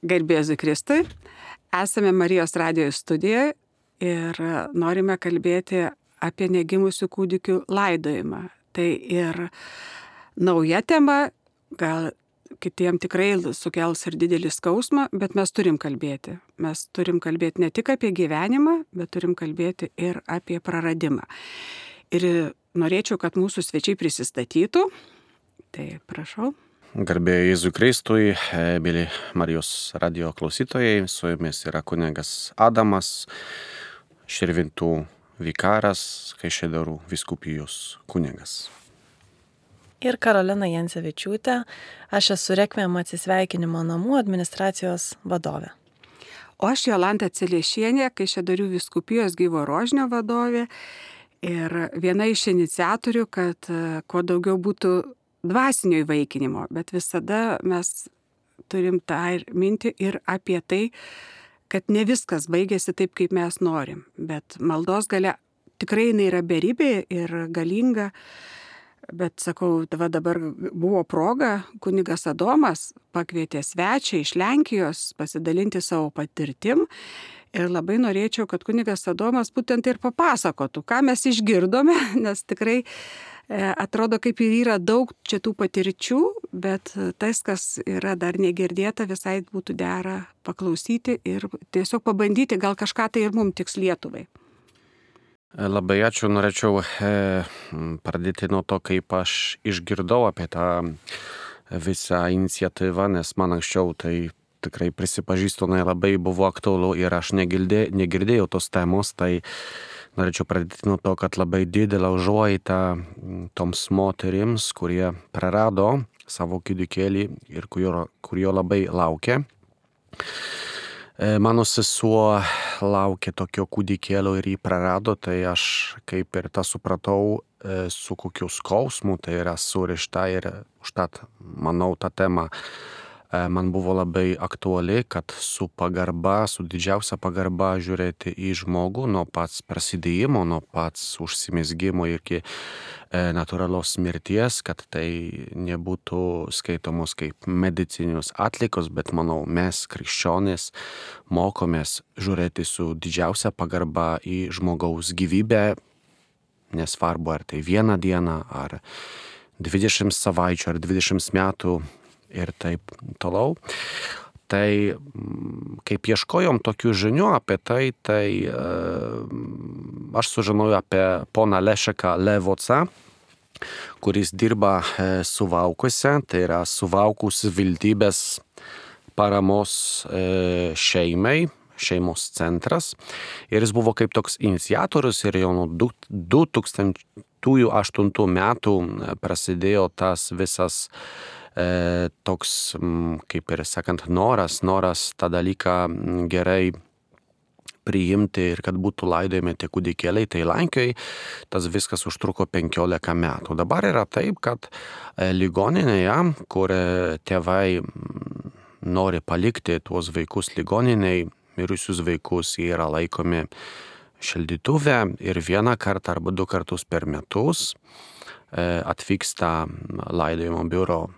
Garbė Jėzui Kristui. Esame Marijos radijo studijoje ir norime kalbėti apie negimusių kūdikių laidojimą. Tai ir nauja tema, gal kitiem tikrai sukels ir didelį skausmą, bet mes turim kalbėti. Mes turim kalbėti ne tik apie gyvenimą, bet turim kalbėti ir apie praradimą. Ir norėčiau, kad mūsų svečiai prisistatytų. Tai prašau. Garbė Jėzui Kristui, mėly Marijos radio klausytojai, su jumis yra kunigas Adamas, Širvintų vikaras, Kaišiadorių vyskupijos kunigas. Ir Karolina Jancevičiūtė, aš esu Rekviem atsisveikinimo namų administracijos vadovė. O aš Jolanta Celiešienė, Kaišiadorių vyskupijos Gyvo Rožinio vadovė ir viena iš iniciatorių, kad kuo daugiau būtų dvasinio įvaikinimo, bet visada mes turim tą ir mintį ir apie tai, kad ne viskas baigėsi taip, kaip mes norim, bet maldos galia tikrai jinai yra beribė ir galinga, bet sakau, dabar buvo proga, kunigas Adomas pakvietė svečią iš Lenkijos pasidalinti savo patirtim ir labai norėčiau, kad kunigas Adomas būtent ir papasakotų, ką mes išgirdome, nes tikrai atrodo, kaip ir yra daug čia tų patirčių, bet tas, kas yra dar negirdėta, visai būtų dera paklausyti ir tiesiog pabandyti, gal kažką tai ir mums tiks Lietuvai. Labai ačiū, norėčiau pradėti nuo to, kaip aš išgirdau apie tą visą iniciatyvą, nes man anksčiau tai tikrai prisipažįstu, labai buvo aktualu ir aš negirdėjau tos temos, tai norėčiau pradėti nuo to, kad labai didelę užuojautą toms moterims, kurie prarado savo kūdikėlį ir kurio labai laukia. Mano sesuo laukė tokio kūdikėlio ir jį prarado, tai aš kaip ir tą supratau, su kokiu skausmu tai yra surišta ir užtat, manau, ta tema man buvo labai aktuali, kad su pagarba, su didžiausia pagarba žiūrėti į žmogų nuo pats prasidėjimo, nuo pats užsimezgimo iki natūralios mirties, kad tai nebūtų skaitomos kaip medicininius atlikos, bet manau, mes krikščionys mokomės žiūrėti su didžiausia pagarba į žmogaus gyvybę, nesvarbu ar tai vieną dieną, ar 20 savaičių, ar 20 metų, ir taip toliau. Tai kaip ieškojom tokių žinių apie tai, aš sužinojau apie poną Lešeką Levocą, kuris dirba Suvalkuose, tai yra Suvalkų savivaldybės paramos šeimos centras. Ir jis buvo kaip toks iniciatorius ir jau nuo 2008 metų prasidėjo tas visas toks, kaip ir sakant, noras tą dalyką gerai priimti ir kad būtų laidojami tie kūdikėliai, tai Lenkijoje tas viskas užtruko 15 metų. Dabar yra taip, kad ligoninėje, kur tėvai nori palikti tuos vaikus ligoniniai, mirusius vaikus, jie yra laikomi šaldytuve ir vieną kartą arba 2 kartus per metus atvyksta laidojimo biuro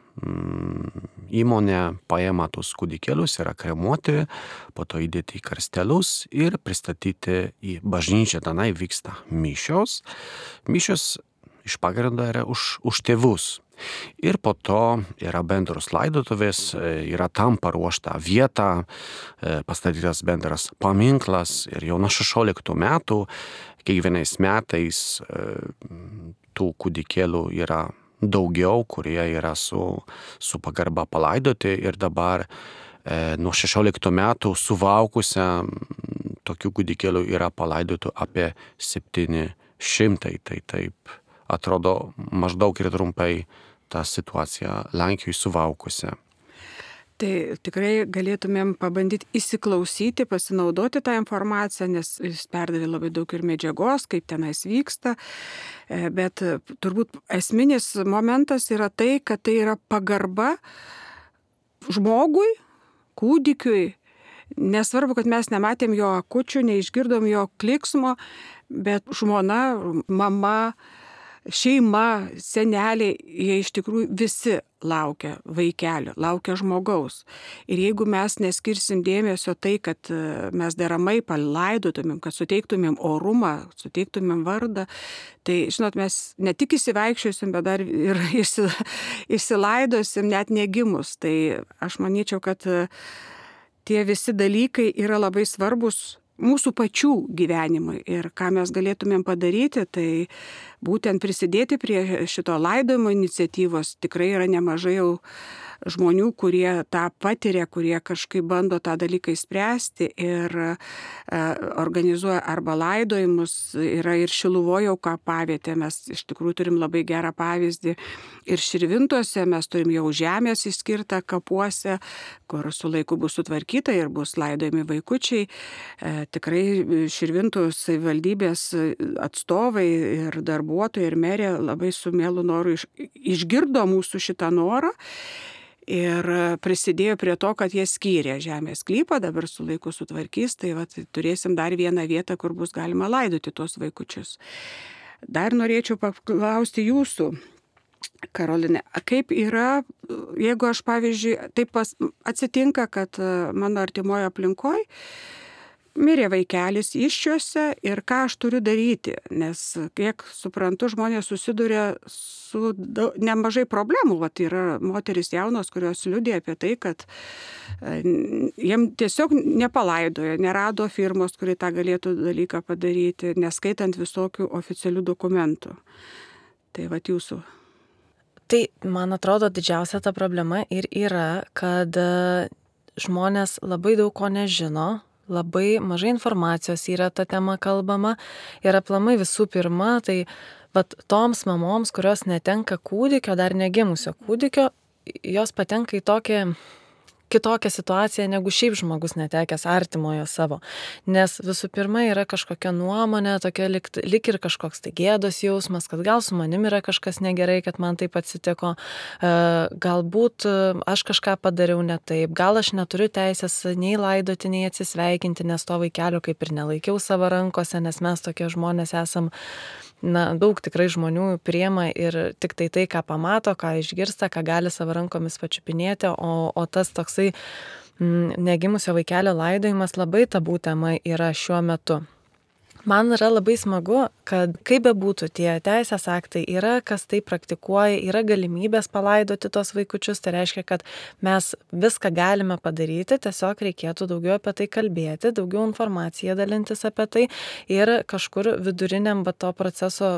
įmonė, paima tus kūdikėlius, yra kremuoti, po to įdėti į karstelius ir pristatyti į bažnyčią. Tenai vyksta mišios. Mišios iš pagrindo yra už tėvus. Ir po to yra bendros laidotuvės, yra tam paruošta vieta, pastatytas bendras paminklas ir jau nuo 16 metų, kiekvienais metais tų kūdikėlių yra daugiau, kurie yra su pagarba palaidoti ir dabar nuo 16 metų Suvalkuose tokių kūdikėlių yra palaidotų apie 700, tai taip atrodo maždaug ir trumpai ta situacija Lenkijoje Suvalkuose. Tai tikrai galėtumėm pabandyti įsiklausyti, pasinaudoti tą informaciją, nes jis perdavė labai daug ir medžiagos, kaip tenais vyksta, bet turbūt esminis momentas yra tai, kad tai yra pagarba žmogui, kūdikiui, nesvarbu, kad mes nematėm jo akučių, neišgirdom jo kliksmo, bet žmona, mama, šeima, seneliai, jie iš tikrųjų visi laukia vaikelio, laukia žmogaus. Ir jeigu mes neskirsim dėmesio tai, kad mes deramai palaidotumėm, kad suteiktumėm orumą, suteiktumėm vardą, tai, žinot, mes ne tik įsivaikščiosim, bet dar ir išsilaidosim net negimus. Tai aš manyčiau, kad tie visi dalykai yra labai svarbus mūsų pačių gyvenimui ir ką mes galėtumėm padaryti, tai būtent prisidėti prie šito laidojimo iniciatyvos. Tikrai yra nemažai jau žmonių, kurie tą patiria, kurie kažkaip bando tą dalyką įspręsti ir organizuoja arba laidojimus. Yra ir Šiluvoje jau kapavietė, mes iš tikrųjų turim labai gerą pavyzdį. Ir Širvintose mes turim jau žemės išskirtą kapuose, kur su laiku bus sutvarkyta ir bus laidojami vaikučiai. Tikrai Širvintų savivaldybės atstovai ir darbuotojai ir merė labai su mielu noru išgirdo mūsų šitą norą ir prisidėjo prie to, kad jie skyrė žemės sklypą, dabar su laiku sutvarkys, tai turėsim dar vieną vietą, kur bus galima laidoti tuos vaikučius. Dar norėčiau paklausti jūsų, Karoline, kaip yra, jeigu aš, pavyzdžiui, taip atsitinka, kad mano artimoje aplinkoje mirė vaikelis iščiuose ir ką aš turiu daryti, nes, kiek suprantu, žmonės susiduria su nemažai problemų. Yra moteris jaunos, kurios liudija apie tai, kad jiem tiesiog nepalaidojo, nerado firmos, kuri tą galėtų dalyką padaryti, neskaitant visokių oficialių dokumentų. Tai jūsų. Tai, man atrodo, didžiausia ta problema ir yra, kad žmonės labai daug ko nežino, labai mažai informacijos yra ta tema kalbama ir aplamai visų pirma, tai toms mamoms, kurios netenka kūdikio, dar negimusio kūdikio, jos patenka į kitokią situaciją negu šiaip žmogus netekęs artimojo savo. Nes visų pirma yra kažkokia nuomonė, tokia lyg ir kažkoks tai gėdos jausmas, kad gal su manim yra kažkas negerai, kad man taip atsitiko, galbūt aš kažką padariau ne taip, gal aš neturiu teisės nei laidoti, nei atsisveikinti, nes to vaikelio kaip ir nelaikiau savo rankose, nes mes tokie žmonės esam. Daug tikrai žmonių priema ir tik tai, ką pamato, ką išgirsta, ką gali savo rankomis pačiupinėti, o tas toksai negimusio vaikelio laidojimas labai tabų tema yra šiuo metu. Man yra labai smagu, kad kaip bebūtų tie teisės aktai yra, kas tai praktikuoja, yra galimybės palaidoti tos vaikučius, tai reiškia, kad mes viską galime padaryti, tiesiog reikėtų daugiau apie tai kalbėti, daugiau informaciją dalintis apie tai ir kažkur viduriniam to proceso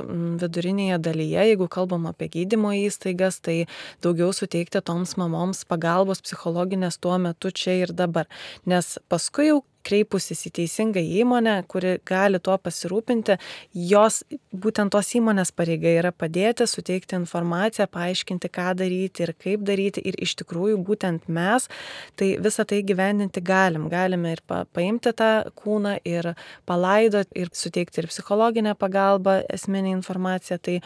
vidurinėje dalyje, jeigu kalbam apie gydymo įstaigas, tai daugiau suteikti toms mamoms pagalbos psichologinės tuo metu čia ir dabar, nes paskui jau kreipusis į teisingą įmonę, kuri gali tuo pasirūpinti, jos būtent tos įmonės pareiga yra padėti, suteikti informaciją, paaiškinti, ką daryti ir kaip daryti ir iš tikrųjų būtent mes tai visą tai gyvendinti galime ir paimti tą kūną ir palaidoti ir suteikti ir psichologinę pagalbą, esminę informaciją, tai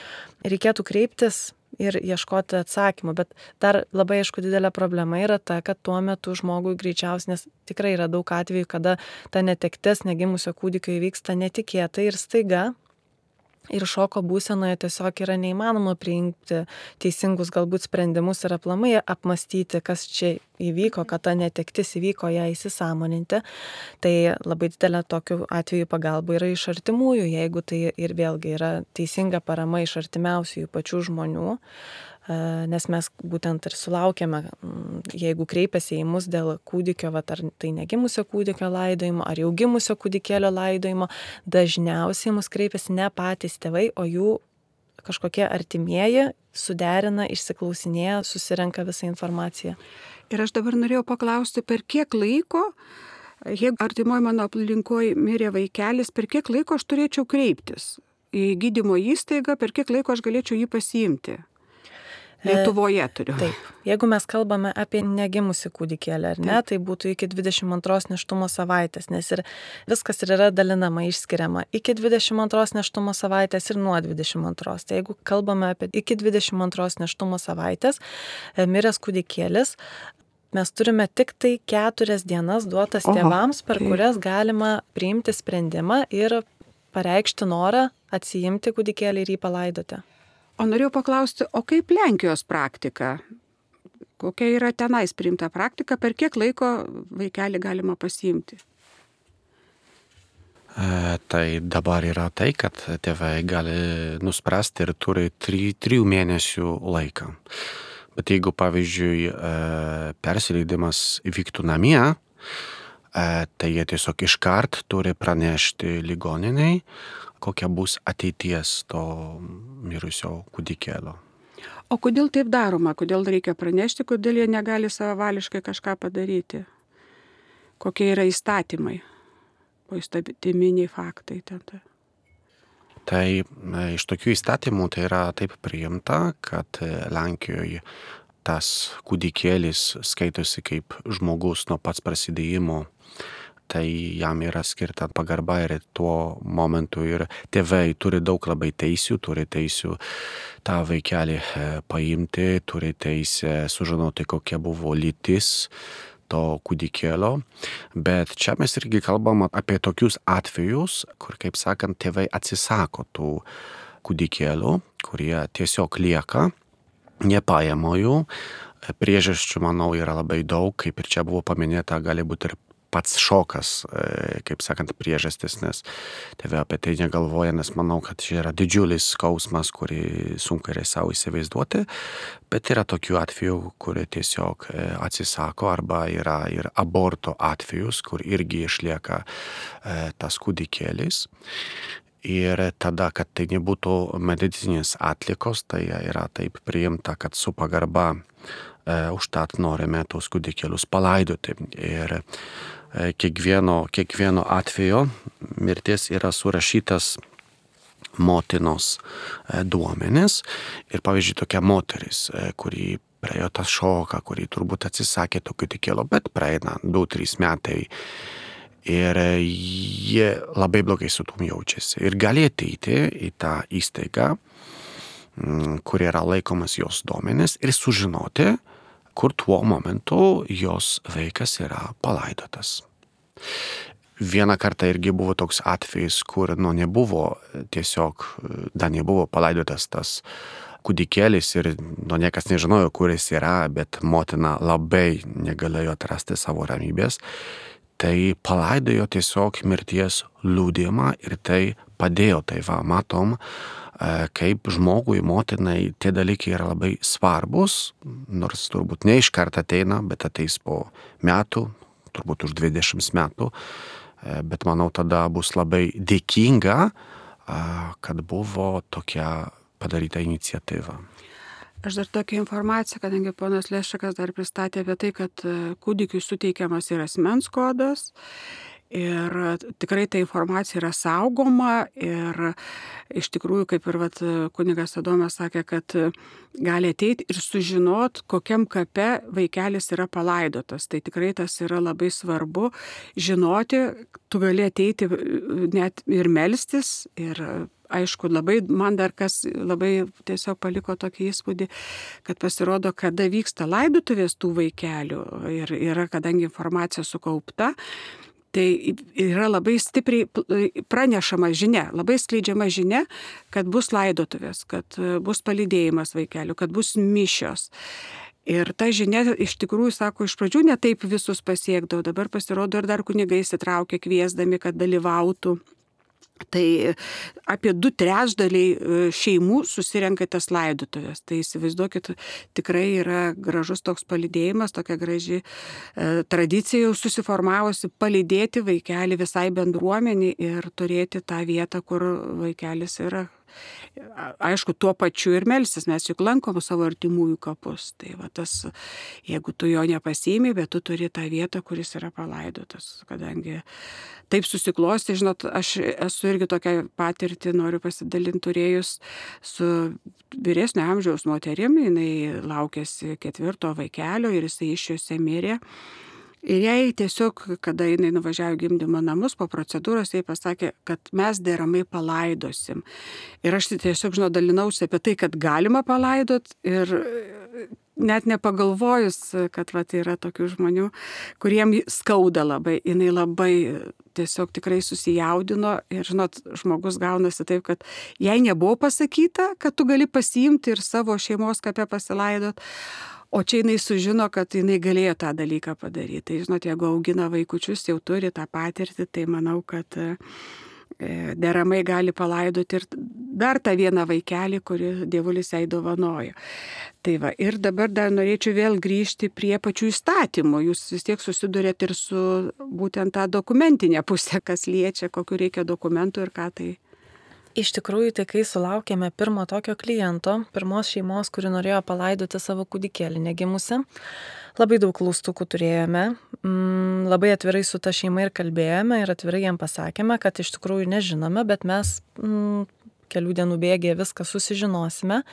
reikėtų kreiptis ir ieškoti atsakymų, bet dar labai aišku didelė problema yra ta, kad tuo metu žmogui greičiausiai, nes tikrai yra daug atvejų, kada ta netektis negimusio kūdikio įvyksta netikėtai ir staiga. Ir šoko būsenoje tiesiog yra neįmanoma priimti teisingus galbūt sprendimus ir aplamai apmastyti, kas čia įvyko, kad ta netektis įvyko, ją įsisąmoninti. Tai labai didelė tokių atvejų pagalba yra iš artimųjų, jeigu tai ir vėlgi yra teisinga parama iš artimiausių pačių žmonių. Nes mes būtent ir sulaukėme, jeigu kreipiasi į mus dėl kūdikio, ar tai negimusio kūdikio laidojimo, ar jau gimusio kūdikėlio laidojimo, dažniausiai mus kreipiasi ne patys tėvai, o jų kažkokie artimieji suderina, išsiklausinėja, susirenka visą informaciją. Ir aš dabar norėjau paklausti, per kiek laiko, jeigu artimoje mano aplinkoje mirė vaikelis, per kiek laiko aš turėčiau kreiptis į gydymo įstaigą, per kiek laiko aš galėčiau jį pasiimti? Lietuvoje turiu. Taip, jeigu mes kalbame apie negimusį kūdikėlį, ar ne, tai būtų iki 22 nėštumo savaitės, nes ir viskas ir yra dalinama, išskiriama iki 22 nėštumo savaitės ir nuo 22. Tai jeigu kalbame apie iki 22 nėštumo savaitės, miręs kūdikėlis, mes turime tik tai 4 dienas duotas tėvams, per kurias galima priimti sprendimą ir pareikšti norą atsiimti kūdikėlį ir jį palaidoti. O norėjau paklausti, o kaip Lenkijos praktika? Kokia yra tenais priimta praktika, per kiek laiko vaikelį galima pasiimti? Tai dabar yra tai, kad tėvai gali nuspręsti ir turi 3 mėnesių laiką. Bet jeigu, pavyzdžiui, persileidimas vyktų namie, tai jie tiesiog iškart turi pranešti ligoniniai, kokia bus ateities to mirusio kūdikėlio. O kodėl taip daroma? Kodėl reikia pranešti, kodėl jie negali savavališkai kažką padaryti? Kokie yra įstatymai? O įstatyminiai faktai ten. Tai iš tokių įstatymų tai yra taip priimta, kad Lenkijoje tas kūdikėlis skaitosi kaip žmogus nuo pats prasidėjimo. Tai jam yra skirta pagarba ir tuo momentu ir tėvai turi daug labai teisių, turi teisių tą vaikelį paimti, turi teisę sužinoti, kokia buvo lytis to kūdikėlio. Bet čia mes irgi kalbam apie tokius atvejus, kur, kaip sakant, tėvai atsisako tų kūdikėlių, kurie tiesiog lieka, nepaėmo jų. Priežasčių, manau, yra labai daug, kaip ir čia buvo paminėta, gali būti ir pats šokas, kaip sakant, priežastis, nes tėvai apie tai negalvoja, nes manau, kad čia yra didžiulis skausmas, kurį sunku yra savo įsivaizduoti, bet yra tokių atvejų, kurie tiesiog atsisako, arba yra ir aborto atvejus, kur irgi išlieka tas kūdikėlis. Ir tada, kad tai nebūtų medicininės atlikos, tai yra taip priimta, kad su pagarba užtat norime tos kūdikėlius palaidoti. Ir kiekvieno atveju mirties yra surašytas motinos duomenis. Ir pavyzdžiui, tokia moteris, kuri praėjo tą šoką, kuri turbūt atsisakė to kūdikėlio, bet praeina 2-3 metai. Ir jie labai blogai su tom jaučiasi. Ir gali ateiti į tą įstaigą, kur yra laikomas jos duomenis, ir sužinoti, kur tuo momentu jos vaikas yra palaidotas. Vieną kartą irgi buvo toks atvejis, kur nebuvo tiesiog, dar nebuvo palaidotas tas kūdikėlis ir niekas nežinojo, kur jis yra, bet motina labai negalėjo atrasti savo ramybės. Tai palaidojo tiesiog mirties liudijimą ir tai padėjo. Tai matom, kaip žmogui, motinai tie dalykai yra labai svarbus, nors turbūt ne iš karto ateina, bet ateis po metų, turbūt už 20 metų, bet manau tada bus labai dėkinga, kad buvo tokia padaryta iniciatyva. Aš dar tokią informaciją, kadangi ponas Leščikas dar pristatė apie tai, kad kūdikiui suteikiamas ir asmens kodas. Ir tikrai ta informacija yra saugoma ir iš tikrųjų, kaip ir kunigas Adomas sakė, kad gali ateiti ir sužinot, kokiam kape vaikelis yra palaidotas. Tai tikrai tas yra labai svarbu žinoti, tu gali ateiti net ir melstis ir aišku, man dar kas labai tiesiog paliko tokį įspūdį, kad pasirodo, kada vyksta laidotuvės tų vaikelių ir yra, kadangi informacija sukaupta, tai yra labai stipriai pranešama žinia, labai skleidžiama žinia, kad bus laidotuvės, kad bus palydėjimas vaikelių, kad bus mišios. Ir ta žinia iš tikrųjų, sako, iš pradžių ne taip visus pasiekdavo, dabar pasirodo ir dar kunigai įsitraukia kviesdami, kad dalyvautų. Tai apie 2/3 šeimų susirenka tas laidotuvės. Tai įsivaizduokit, tikrai yra gražus toks palydėjimas, tokia graži tradicija jau susiformavusi palydėti vaikelį visai bendruomenį ir turėti tą vietą, kur vaikelis yra. Aišku, tuo pačiu ir melstis, mes juk lankom savo artimųjų kapus. Tai tas, jeigu tu jo nepasiimi, bet tu turi tą vietą, kuris yra palaidotas. Kadangi taip susiklosti, žinot, aš esu irgi tokią patirtį, noriu pasidalinti, turėjus su vyresnio amžiaus moterim, jinai laukėsi 4 vaikelio ir jisai iš jose mirė. Ir jai tiesiog, kada jinai nuvažiavo gimdymo namus, po procedūros jai pasakė, kad mes deramai palaidosim. Ir aš tiesiog, dalinausi apie tai, kad galima palaidot ir net nepagalvojus, kad yra tokių žmonių, kuriem skauda labai. Jinai labai tiesiog tikrai susijaudino ir, žinot, žmogus gaunasi taip, kad jai nebuvo pasakyta, kad tu gali pasiimti ir savo šeimos kape pasilaidot, o čia jinai sužino, kad jinai galėjo tą dalyką padaryti. Tai, žinot, jeigu augina vaikučius, jau turi tą patirtį, tai manau, kad deramai gali palaidoti ir dar tą vieną vaikelį, kurį Dievulis jai dovanojo. Tai va, ir dabar dar norėčiau vėl grįžti prie pačių įstatymų. Jūs vis tiek susidurėt ir su būtent tą dokumentinę pusę, kas liečia, kokiu reikia dokumentų ir ką tai. Iš tikrųjų, tai kai sulaukėme pirmo tokio kliento, pirmos šeimos, kuri norėjo palaidoti savo kūdikėlį negimusi, labai daug klaustukų turėjome, labai atvirai su ta šeima ir kalbėjome ir atvirai jam pasakėme, kad iš tikrųjų nežinome, bet mes kelių dienų bėgyje viską susižinosime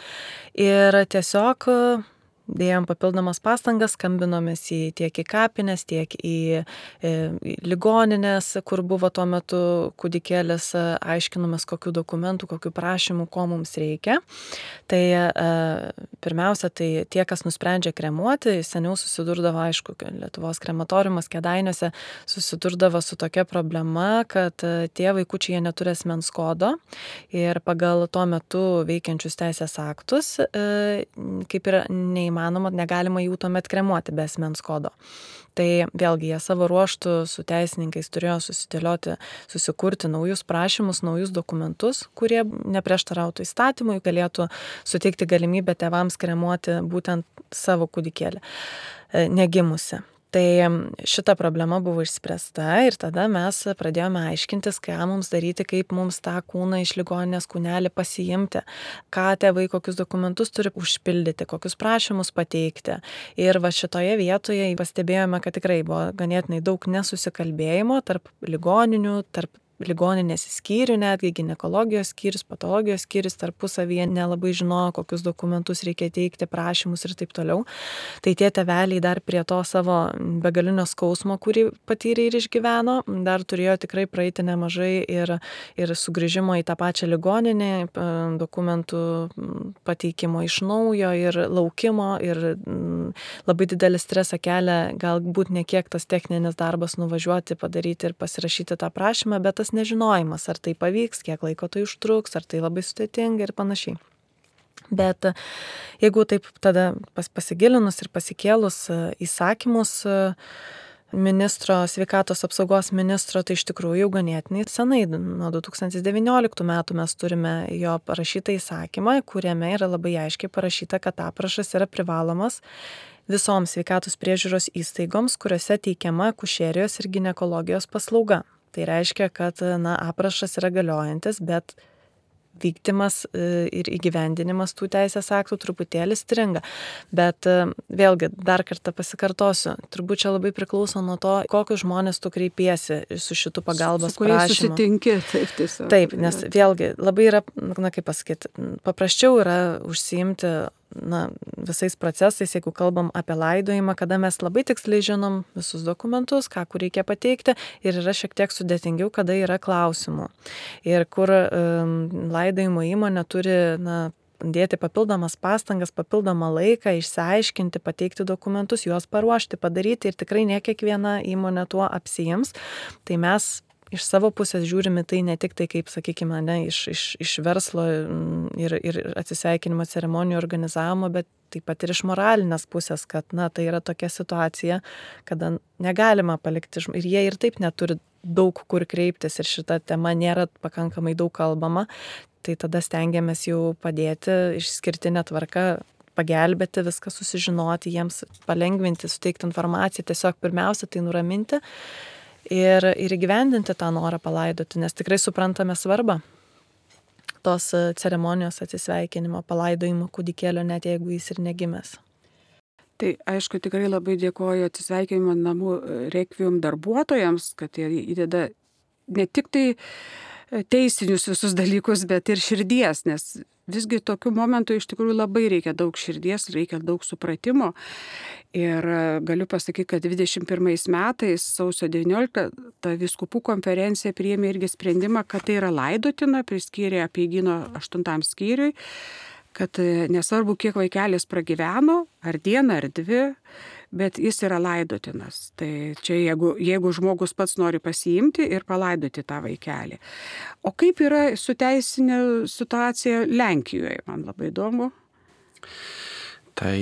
ir tiesiog dėjom papildomas pastangas, skambinomės tiek į kapines, tiek į ligoninės, kur buvo tuo metu kūdikėlis, aiškinomės kokių dokumentų, kokių prašymų, ko mums reikia. Tai pirmiausia, tai tie, kas nusprendžia kremuoti, seniau susidurdavo, aišku, Lietuvos krematoriumas Kėdainiuose susidurdavo su tokia problema, kad tie vaikučiai neturi asmens kodo ir pagal tuo metu veikiančius teisės aktus, kaip ir negalima jų tuomet kremuoti be asmens kodo. Tai vėlgi jie savo ruoštų su teisininkais turėjo susikurti naujus prašymus, naujus dokumentus, kurie neprieštarautų įstatymui, galėtų suteikti galimybę tėvams kremuoti būtent savo kūdikėlį negimusi. Tai šita problema buvo išspręsta ir tada mes pradėjome aiškintis, ką mums daryti, kaip mums tą kūną iš ligoninės kūnelį pasiimti, ką tėvai, kokius dokumentus turi užpildyti, kokius prašymus pateikti. Ir va šitoje vietoje pastebėjome, kad tikrai buvo ganėtinai daug nesusikalbėjimo tarp ligoninių, tarp ligoninės skyrių, netgi ginekologijos skyrius, patologijos skyrius tarpusavyje nelabai žinojo, kokius dokumentus reikia teikti, prašymus ir taip toliau. Tai tie tėveliai dar prie to savo begalinio skausmo, kurį patyrė ir išgyveno, dar turėjo tikrai praeiti nemažai ir sugrįžimo į tą pačią ligoninę, dokumentų pateikimo iš naujo ir laukimo ir labai didelį stresą kelia galbūt ne kiek tas techninis darbas nuvažiuoti, padaryti ir pasirašyti tą prašymą, bet tas nežinojimas, ar tai pavyks, kiek laiko tai užtruks, ar tai labai sudėtinga ir panašiai. Bet jeigu taip tada pasigilinus ir pasikėlus įsakymus ministro, sveikatos apsaugos ministro, tai iš tikrųjų jau ganėtinai senai, nuo 2019 metų mes turime jo parašytą įsakymą, kuriame yra labai aiškiai parašyta, kad aprašas yra privalomas visoms sveikatos priežiūros įstaigoms, kuriuose teikiama akušerijos ir ginekologijos paslauga. Tai reiškia, kad aprašas yra galiojantis, bet vykdymas ir įgyvendinimas tų teisės aktų truputėlį stringa. Bet vėlgi, dar kartą pasikartosiu, turbūt čia labai priklauso nuo to, kokius žmonės tu kreipiesi su šitų pagalbos prašymu. Su kuriais susitinki, taip tiesiog. Taip, nes vėlgi labai yra, kaip pasakyti, paprasčiau yra užsiimti visais procesais, jeigu kalbam apie laidojimą, kada mes labai tiksliai žinom visus dokumentus, ką kur reikia pateikti ir yra šiek tiek sudėtingiau, kada yra klausimų. Ir kur laidojimo įmonė turi dėti papildomas pastangas, papildomą laiką, išsiaiškinti, pateikti dokumentus, juos paruošti, padaryti ir tikrai ne kiekviena įmonė tuo apsiims. Tai mes iš savo pusės žiūrime tai ne tik tai, kaip, sakykime, iš verslo ir atsisveikinimo ceremonijų organizavimo, bet taip pat ir iš moralinės pusės, kad tai yra tokia situacija, kada negalima palikti, ir jie ir taip neturi daug kur kreiptis ir šita tema nėra pakankamai daug kalbama, tai tada stengiamės jau padėti išskirtinę tvarką, pagelbėti, viską susižinoti, jiems palengvinti, suteikti informaciją, tiesiog pirmiausia tai nuraminti ir įgyvendinti tą norą palaidoti, nes tikrai suprantame svarbą tos ceremonijos atsisveikinimo, palaidojimo kūdikėlio, net jeigu jis ir negimęs. Tai aišku, tikrai labai dėkoju atsisveikinimo namų Requiem darbuotojams, kad jie įdeda ne tik tai teisinius visus dalykus, bet ir širdies, nes visgi tokiu momentu iš tikrųjų labai reikia daug širdies, reikia daug supratimo. Ir galiu pasakyti, kad 21 metais, sausio 19, ta vyskupų konferencija priėmė irgi sprendimą, kad tai yra laidotina, priskyrė Apeigyno 8 skyriui, kad nesvarbu, kiek vaikelis pragyveno, ar dieną, ar dvi, bet jis yra laidotinas. Tai čia jeigu žmogus pats nori pasiimti ir palaidoti tą vaikelį. O kaip yra su teisinė situacija Lenkijoje, man labai įdomu. Tai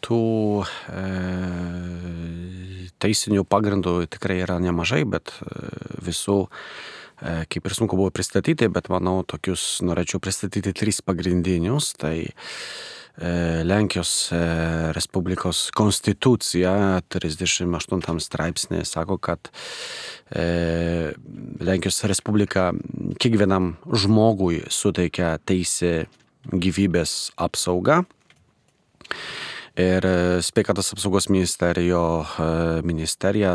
tų teisinių pagrindų tikrai yra nemažai, bet visų, kaip ir sunku buvo pristatyti, bet manau, tokius norėčiau pristatyti 3 pagrindinius. Tai Lenkijos Respublikos konstitucija 38 straipsnė sako, kad Lenkijos Respublika kiekvienam žmogui suteikia teisę gyvybės apsaugą. Ir sveikatos apsaugos ministerija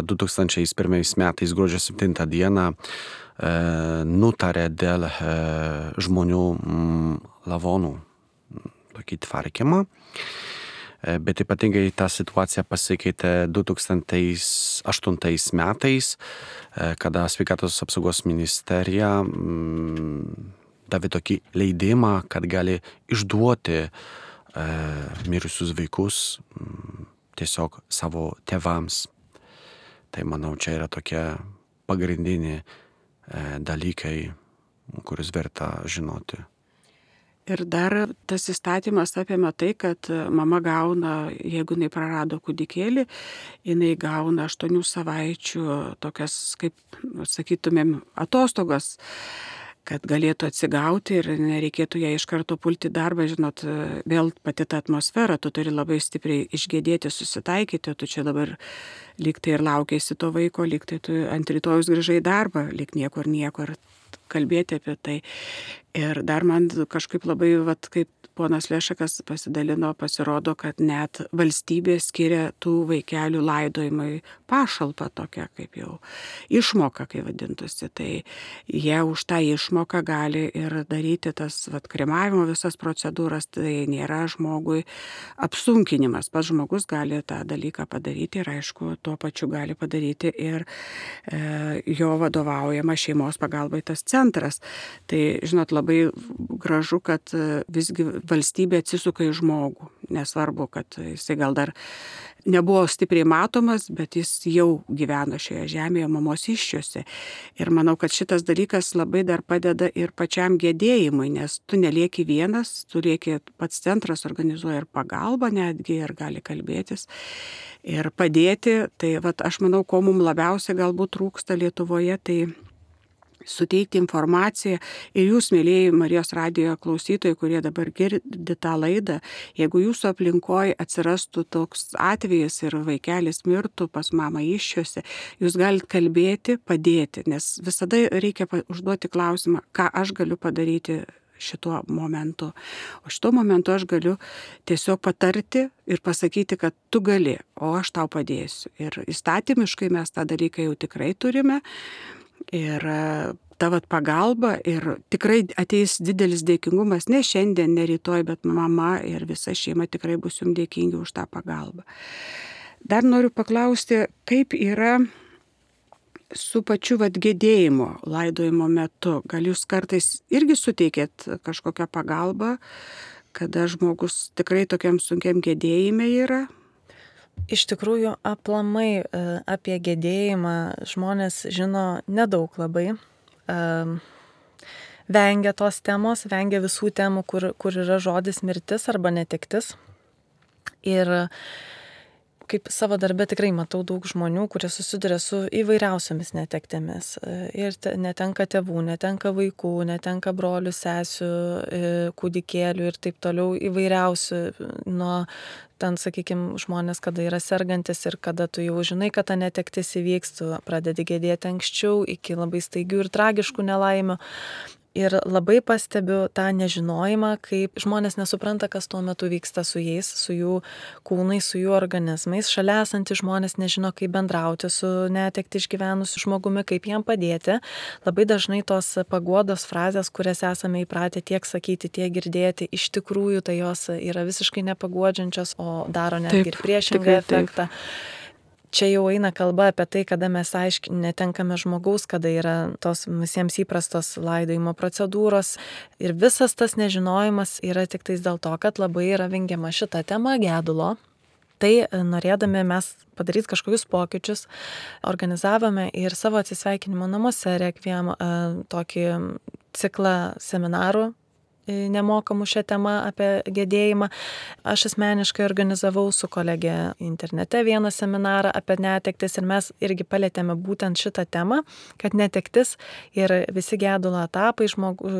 2001 metais gruodžio 7 dieną nutarė dėl žmonių lavonų tokį tvarkymą. Bet ypatingai ta situacija pasikeitė 2008 metais, kada sveikatos apsaugos ministerija davė tokį leidimą, kad gali išduoti mirusius vaikus tiesiog savo tėvams. Tai manau, čia yra tokie pagrindiniai dalykai, kuriuos verta žinoti. Ir dar tas įstatymas apėmė tai, kad mama gauna, jeigu jinai prarado kūdikėlį, jinai gauna 8 savaičių tokias, kaip sakytumėm, atostogas, kad galėtų atsigauti ir nereikėtų ją iš karto pulti darbą, žinot, vėl pati ta atmosfera, tu turi labai stipriai išgėdėti, susitaikyti, tu čia dabar lyg tai ir laukėsi to vaiko, lyg tai tu ant rytojus grįžai į darbą, lyg niekur kalbėti apie tai. Ir dar man kažkaip labai, kaip ponas Lešakas pasidalino, pasirodo, kad net valstybė skiria tų vaikelių laidojimui pašalpą tokią, kaip jau išmoka, kai vadintųsi. Tai jie už tą išmoką gali ir daryti tas kremavimo visas procedūras, tai nėra žmogui apsunkinimas. Pats žmogus gali tą dalyką padaryti ir aišku, tuo pačiu gali padaryti ir jo vadovaujama šeimos pagalbai tas centras. Tai, žinot, labai gražu, kad visgi valstybė atsisuka į žmogų. Nesvarbu, kad jisai gal dar nebuvo stipriai matomas, bet jis jau gyvena šioje žemėje mamos įsčiose. Ir manau, kad šitas dalykas labai dar padeda ir pačiam gedėjimui, nes tu nelieki vienas, tu lieki pats centras organizuoja ir pagalbą netgi ir gali kalbėtis ir padėti. Tai aš manau, ko mums labiausiai galbūt trūksta Lietuvoje, tai suteikti informaciją ir jūs, mėlieji Marijos radijo klausytojai, kurie dabar girdi tą laidą, jeigu jūsų aplinkoje atsirastų toks atvejis ir vaikelis mirtų pas mamą įsčiose, jūs galite kalbėti, padėti, nes visada reikia užduoti klausimą, ką aš galiu padaryti šituo momentu. O šituo momentu aš galiu tiesiog patarti ir pasakyti, kad tu gali, o aš tau padėsiu. Ir įstatymiškai mes tą dalyką jau tikrai turime. Ir ta pagalba ir tikrai ateis didelis dėkingumas, ne šiandien, ne rytoj, bet mama ir visa šeima tikrai bus jums dėkingi už tą pagalbą. Dar noriu paklausti, kaip yra su pačiu gedėjimo laidojimo metu. Gal jūs kartais irgi suteikėt kažkokią pagalbą, kada žmogus tikrai tokiam sunkiam gedėjime yra? Iš tikrųjų, aplamai apie gedėjimą žmonės žino nedaug labai. Vengia tos temos, vengia visų temų, kur yra žodis mirtis arba netektis. Ir kaip savo darbe tikrai matau daug žmonių, kurie susiduria su įvairiausiamis netektėmis. Ir netenka tėvų, netenka vaikų, netenka brolių, sesių, kūdikėlių ir taip toliau įvairiausių. Nuo ten, sakykime, žmonės, kada yra sergantis ir kada tu jau žinai, kad ta netektis įvyks, tu pradedi gedėti anksčiau iki labai staigių ir tragiškų nelaimių. Ir labai pastebiu tą nežinojimą, kaip žmonės nesupranta, kas tuo metu vyksta su jais, su jų kūnais, su jų organizmais. Šalia esantys žmonės nežino, kaip bendrauti su netekti išgyvenusiu žmogumi, kaip jam padėti. Labai dažnai tos paguodos frazės, kurias esame įpratę tiek sakyti, tiek girdėti, iš tikrųjų tai jos yra visiškai nepaguodžiančios, o daro netgi ir priešingą efektą. Čia jau eina kalba apie tai, kada mes netenkame žmogaus, kada yra tos visiems įprastos laidojimo procedūros. Ir visas tas nežinojimas yra tik tais dėl to, kad labai yra vengiama šita tema gedulo. Tai norėdami mes padaryti kažkokius pokyčius, organizavome ir savo atsisveikinimo namuose Requiem tokį ciklą seminarų nemokamų šią temą apie gedėjimą. Aš asmeniškai organizavau su kolegė internete vieną seminarą apie netektis ir mes irgi palėtėme būtent šitą temą, kad netektis ir visi gedulo etapai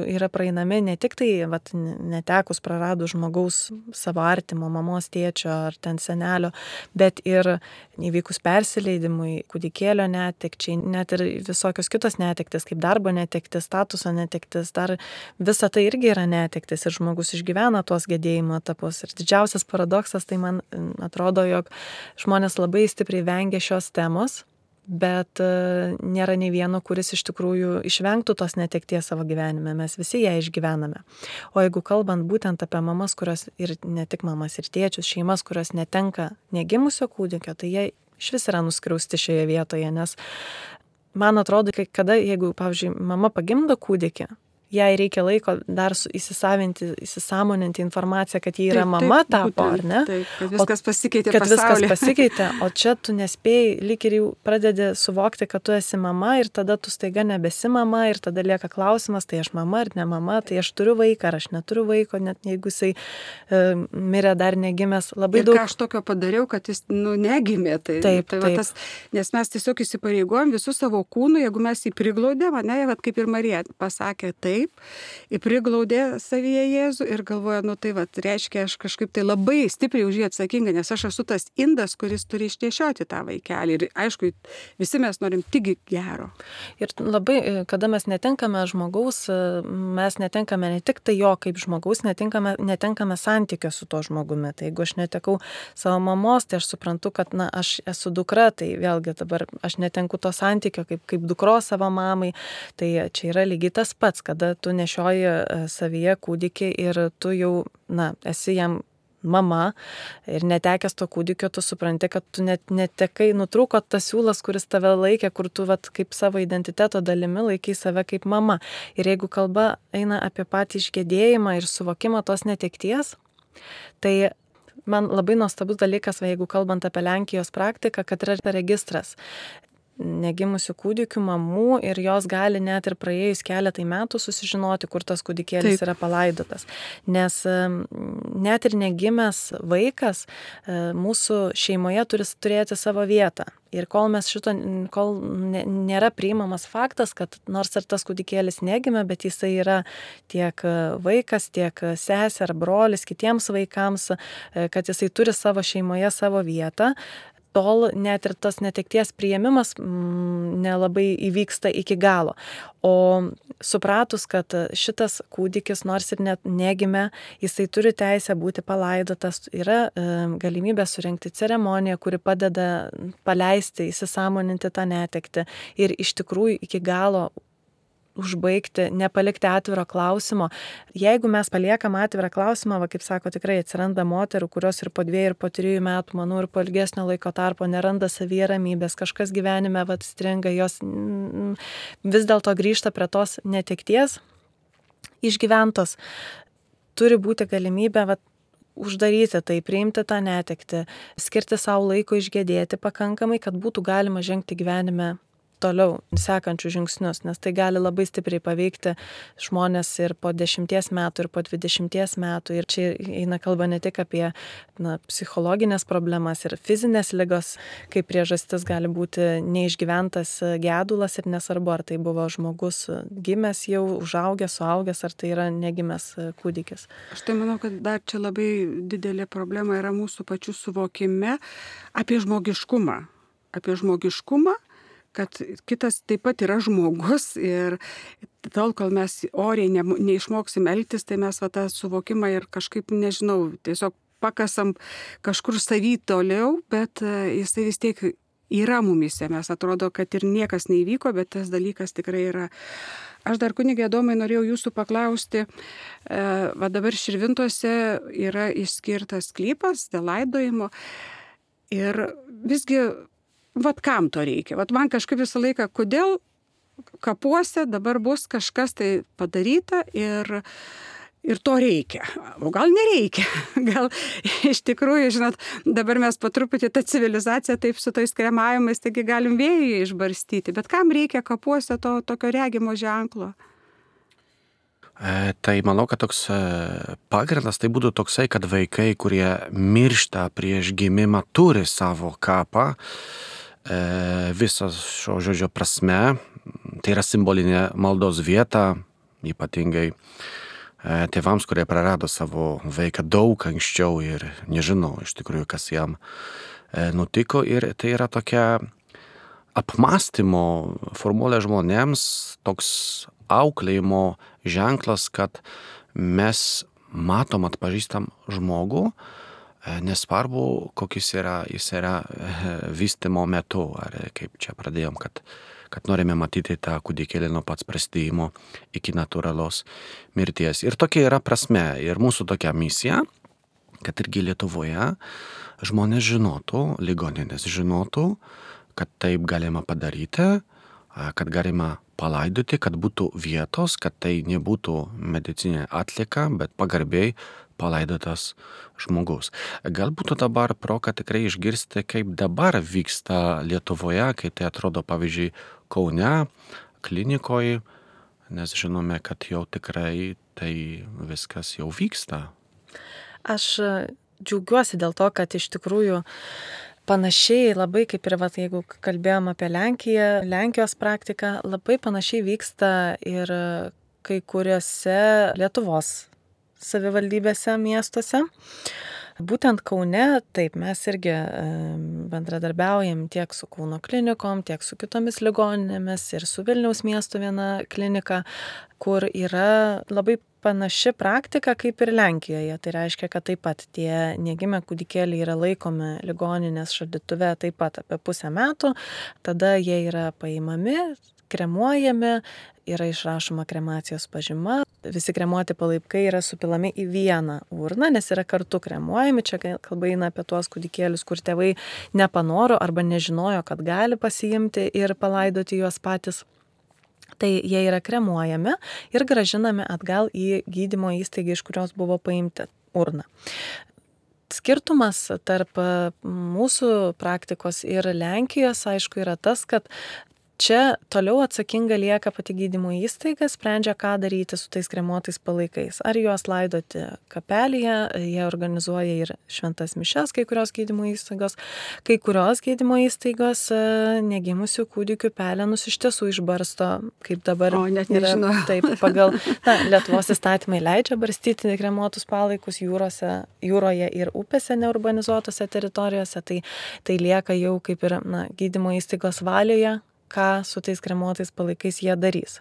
yra praeinami ne tik tai netekus praradus žmogaus savo artimo, mamos, tėčio ar ten senelio, bet ir įvykus persileidimui, kūdikėlio netekčiai, net ir visokios kitos netektis, kaip darbo netektis, statuso netektis, dar visa tai irgi yra netektis ir žmogus išgyvena tuos gedėjimo etapus. Ir didžiausias paradoksas, tai man atrodo, jog žmonės labai stipriai vengia šios temos, bet nėra nei vieno, kuris iš tikrųjų išvengtų tos netekties savo gyvenime. Mes visi ją išgyvename. O jeigu kalbant būtent apie mamas, kurios ir ne tik mamas ir tėčius, šeimas, kurios netenka negimusio kūdikio, tai jie iš vis yra nuskriausti šioje vietoje, nes man atrodo, kada, jeigu, pavyzdžiui, mama pagimdo kūdikį, jai reikia laiko dar įsisąmoninti informaciją, kad ji yra mama tapo, ar ne? Taip, kad viskas pasikeitė pasaulyje. Kad viskas pasikeitė, o čia tu nespėjai, lyg ir jau pradedi suvokti, kad tu esi mama ir tada tu staiga nebesi mama ir tada lieka klausimas, tai aš mama ar ne mama, tai aš turiu vaiką ar aš neturiu vaiko, net jeigu jisai mirė dar negimęs. Labai ir daug. Ką aš tokio padariau, kad jis negimė. Taip. Tas, nes mes tiesiog įsipareigojom visų savo kūnų, jeigu mes jį priglaudėm, kaip ir Marija pasakė, taip, priglaudė savyje Jėzų ir galvoja, tai reiškia, aš kažkaip tai labai stipriai už jį atsakinga, nes aš esu tas indas, kuris turi išnešioti tą vaikelį. Ir aišku, visi mes norim tik gero. Ir labai, kada mes netenkame žmogaus, mes netenkame ne tik tai jo kaip žmogaus, netenkame santykio su to žmogumi. Tai jeigu aš netekau savo mamos, tai aš suprantu, kad aš esu dukra, tai vėlgi dabar aš netenku to santykio kaip dukros savo mamai. Tai čia yra lygiai tas pats, kada tu nešioji savyje kūdikį ir tu jau, esi jam mama ir netekęs to kūdikio, tu supranti, kad tu net netekai, nutrūko tas siūlas, kuris tave laikė, kur tu kaip savo identiteto dalimi laikai save kaip mama. Ir jeigu kalba eina apie patį išgedėjimą ir suvokimą tos netekties, tai man labai nuostabus dalykas, jeigu kalbant apie Lenkijos praktiką, kad yra registras negimusių kūdikių mamų ir jos gali net ir praėjus keletai metų susižinoti, kur tas kūdikėlis yra palaidotas. Nes net ir negimęs vaikas mūsų šeimoje turi turėti savo vietą. Ir kol nėra priimamas faktas, kad nors ir tas kūdikėlis negimė, bet jisai yra tiek vaikas, tiek sesė ar brolis kitiems vaikams, kad jisai turi savo šeimoje savo vietą, tol net ir tas netekties priėmimas nelabai įvyksta iki galo. O supratus, kad šitas kūdikis, nors ir net negimė, jisai turi teisę būti palaidotas, yra galimybė surengti ceremoniją, kuri padeda paleisti, įsisąmoninti tą netektį ir iš tikrųjų iki galo užbaigti, nepalikti atviro klausimo. Jeigu mes paliekam atvirą klausimą, kaip sako, tikrai atsiranda moterų, kurios ir po 2 ir po 3 metų, manau, ir po ilgesnio laiko tarpo neranda savyje ramybės, kažkas gyvenime stringa, jos vis dėlto grįžta prie tos netekties išgyventos. Turi būti galimybė uždaryti tai, priimti tą netektį, skirti savo laiko išgedėti pakankamai, kad būtų galima žengti gyvenime toliau sekančius žingsnius, nes tai gali labai stipriai paveikti žmonės ir po 10 metų, ir po 20 metų. Ir čia eina kalba ne tik apie psichologinės problemas ir fizinės ligos, kaip priežastis gali būti neišgyventas gedulas ir nesvarbu, ar tai buvo žmogus gimęs jau, užaugęs, suaugęs, ar tai yra negimęs kūdikis. Aš tai manau, kad dar čia labai didelė problema yra mūsų pačių suvokime apie žmogiškumą. Kad kitas taip pat yra žmogus ir tol, kol mes oriai neišmoksim elgtis, tai mes tą suvokimą ir kažkaip, nežinau, tiesiog pakasam kažkur savy toliau, bet jisai vis tiek yra mumise. Mes atrodo, kad ir niekas neįvyko, bet tas dalykas tikrai yra. Aš dar, kunige Adomai, norėjau jūsų paklausti, dabar Širvintose yra išskirtas sklypas dėl laidojimo ir visgi kam to reikia? Man kažkaip visą laiką, kodėl kapuose dabar bus kažkas tai padaryta ir Ir to reikia. O gal nereikia. Gal iš tikrųjų, žinot, dabar mes po truputį tą civilizaciją taip su tais kremavimais, taigi galim vėjuje išbarstyti. Bet kam reikia kapuose to tokio regimo ženklo? Tai manau, kad toks pagrindas tai būtų toksai, kad vaikai, kurie miršta prieš gimimą, turi savo kapą. Visas šio žodžio prasme, tai yra simbolinė maldos vieta, ypatingai tėvams, kurie prarado savo vaiką daug anksčiau ir nežinau iš tikrųjų, kas jam nutiko. Ir tai yra tokia apmąstymo formulė žmonėms, toks auklėjimo ženklas, kad mes matom, atpažįstam žmogų, nesvarbu, kokis jis yra vystymo metu, ar kaip čia pradėjom, kad norime matyti tą kūdikėlį nuo pats prasidėjimo iki natūralos mirties. Ir tokia yra prasme. Ir mūsų tokia misija, kad irgi Lietuvoje žmonės žinotų, ligoninės žinotų, kad taip galima padaryti, kad galima palaidoti, kad būtų vietos, kad tai nebūtų medicininė atlieka, bet pagarbiai palaidotas žmogus. Galbūt dabar proga tikrai išgirsti, kaip dabar vyksta Lietuvoje, kai tai atrodo, pavyzdžiui, Kaune, klinikoje, nes žinome, kad jau tikrai tai viskas jau vyksta. Aš džiaugiuosi dėl to, kad iš tikrųjų panašiai labai kaip ir jeigu kalbėjom apie Lenkiją, Lenkijos praktiką, labai panašiai vyksta ir kai kuriuose Lietuvos savivaldybėse, miestuose. Būtent Kaune, taip, mes irgi bendradarbiaujam tiek su Kauno klinikom, tiek su kitomis ligoninėmis ir su Vilniaus miesto viena klinika, kur yra labai panaši praktika kaip ir Lenkijoje. Tai reiškia, kad taip pat tie negimę kūdikėliai yra laikomi ligoninės šaldytuve taip pat apie pusę metų, tada jie yra paimami, kremuojami, yra išrašoma kremacijos pažyma, visi kremuoti palaikai yra supilami į vieną urną, nes yra kartu kremuojami, čia kalba eina apie tuos kūdikėlius, kur tėvai nepanoro arba nežinojo, kad gali pasiimti ir palaidoti juos patys. Tai jie yra kremuojami ir gražinami atgal į gydymo įstaigą, iš kurios buvo paimti urną. Skirtumas tarp mūsų praktikos ir Lenkijos, aišku, yra tas, kad čia toliau atsakinga lieka pati gydymo įstaiga, sprendžia, ką daryti su tais kremuotais palaikais. Ar juos laidoti kapelėje, jie organizuoja ir šventas mišias, kai kurios gydymo įstaigos. Kai kurios gydymo įstaigos negimusių kūdikių pelenus iš tiesų išbarsto, kaip dabar yra. Taip, pagal Lietuvos įstatymai leidžia barstyti kremuotus palaikus jūroje ir upėse neurbanizuotose teritorijose, tai lieka jau kaip ir gydymo įstaigos valioje, ką su tais kremuotais palaikais jie darys.